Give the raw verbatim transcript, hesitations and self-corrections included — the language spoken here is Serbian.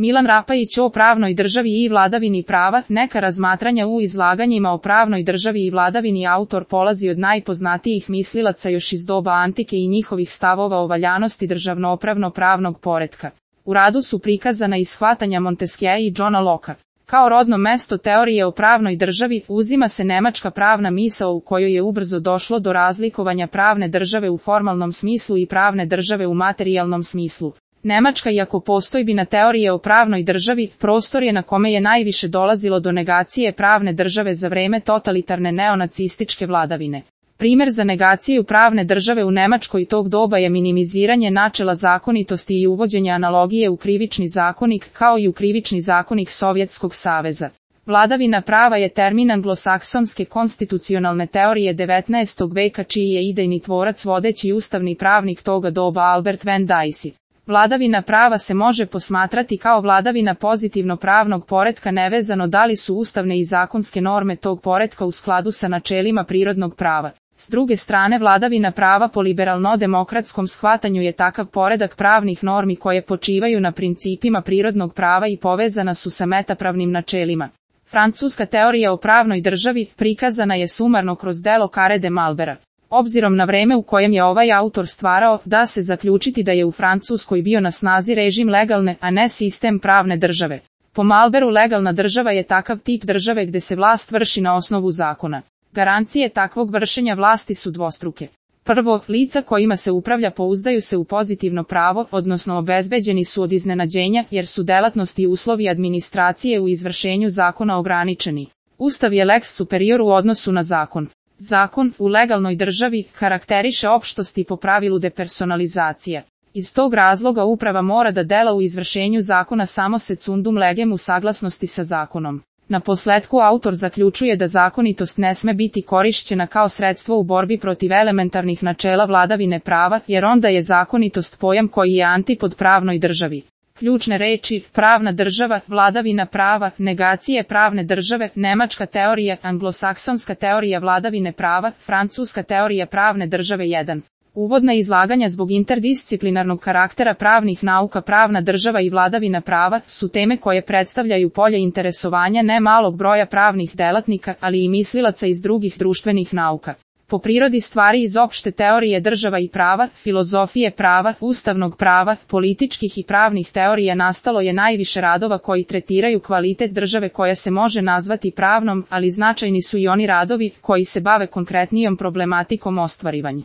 Milan Rapajić o pravnoj državi i vladavini prava, neka razmatranja u izlaganjima o pravnoj državi i vladavini. Autor polazi od najpoznatijih mislilaca još iz doba antike i njihovih stavova o valjanosti državno-pravnog poretka. U radu su prikazana i shvatanja Montesquieua i Johna Locke. Kao rodno mesto teorije o pravnoj državi uzima se nemačka pravna misao u kojoj je ubrzo došlo do razlikovanja pravne države u formalnom smislu i pravne države u materijalnom smislu. Nemačka, iako postojbina teorije o pravnoj državi, prostor je na kome je najviše dolazilo do negacije pravne države za vreme totalitarne neonacističke vladavine. Primer za negaciju pravne države u Nemačkoj tog doba je minimiziranje načela zakonitosti i uvođenje analogije u krivični zakonik, kao i u krivični zakonik Sovjetskog saveza. Vladavina prava je termin anglosaksonske konstitucionalne teorije devetnaestog veka, čiji je idejni tvorac vodeći ustavni pravnik toga doba Albert van Dicey. Vladavina prava se može posmatrati kao vladavina pozitivno pravnog poretka nevezano da li su ustavne i zakonske norme tog poretka u skladu sa načelima prirodnog prava. S druge strane, vladavina prava po liberalno-demokratskom shvatanju je takav poredak pravnih normi koje počivaju na principima prirodnog prava i povezana su sa metapravnim načelima. Francuska teorija o pravnoj državi prikazana je sumarno kroz delo Carré de Malbera. Obzirom na vreme u kojem je ovaj autor stvarao, da se zaključiti da je u Francuskoj bio na snazi režim legalne, a ne sistem pravne države. Po Malberu, legalna država je takav tip države gde se vlast vrši na osnovu zakona. Garancije takvog vršenja vlasti su dvostruke. Prvo, lica kojima se upravlja pouzdaju se u pozitivno pravo, odnosno obezbeđeni su od iznenađenja, jer su delatnosti i uslovi administracije u izvršenju zakona ograničeni. Ustav je lex superior u odnosu na zakon. Zakon, u legalnoj državi, karakteriše opštosti po pravilu depersonalizacija. Iz tog razloga uprava mora da dela u izvršenju zakona samo secundum legem u saglasnosti sa zakonom. Na posletku autor zaključuje da zakonitost ne sme biti korišćena kao sredstvo u borbi protiv elementarnih načela vladavine prava, jer onda je zakonitost pojam koji je antipod pravnoj državi. Ključne reči: pravna država, vladavina prava, negacije pravne države, nemačka teorija, anglosaksonska teorija vladavine prava, francuska teorija pravne države. jedan. Uvodna izlaganja zbog interdisciplinarnog karaktera pravnih nauka. Pravna država i vladavina prava su teme koje predstavljaju polje interesovanja ne malog broja pravnih delatnika, ali i mislilaca iz drugih društvenih nauka. Po prirodi stvari iz opšte teorije država i prava, filozofije prava, ustavnog prava, političkih i pravnih teorija nastalo je najviše radova koji tretiraju kvalitet države koja se može nazvati pravnom, ali značajni su i oni radovi koji se bave konkretnijom problematikom ostvarivanja